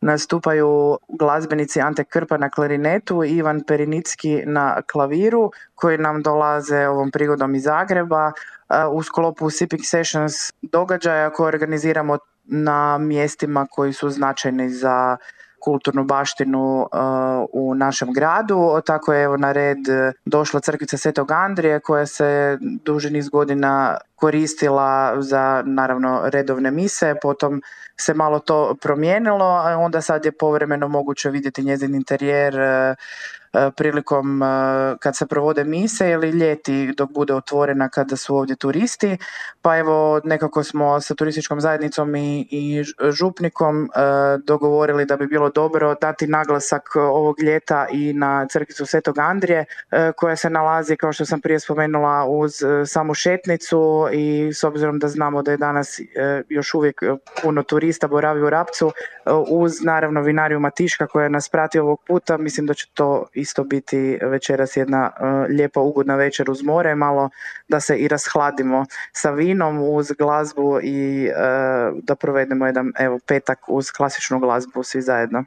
nastupaju glazbenici Ante Krpa na klarinetu i Ivan Perinicki na klaviru koji nam dolaze ovom prigodom iz Zagreba u sklopu Sipping Sessions događaja koje organiziramo na mjestima koji su značajni za kulturnu baštinu u našem gradu. Tako je evo na red došla crkvica Svetog Andrije koja se duži niz godina koristila za naravno redovne mise, potom se malo to promijenilo, a onda sad je povremeno moguće vidjeti njezin interijer prilikom kad se provode mise ili ljeti dok bude otvorena kada su ovdje turisti. Pa evo nekako smo sa turističkom zajednicom i župnikom dogovorili da bi bilo dobro dati naglasak ovog ljeta i na crkvicu Svetog Andrije koja se nalazi, kao što sam prije spomenula, uz samu šetnicu i s obzirom da znamo da je danas još uvijek puno turista boravi u Rapcu, uz naravno vinariju Matiška koja nas prati ovog puta, mislim da će to isto biti večeras jedna lijepa ugodna večer uz more, malo da se i rashladimo sa vinom uz glazbu i da provedemo jedan petak uz klasičnu glazbu svi zajedno.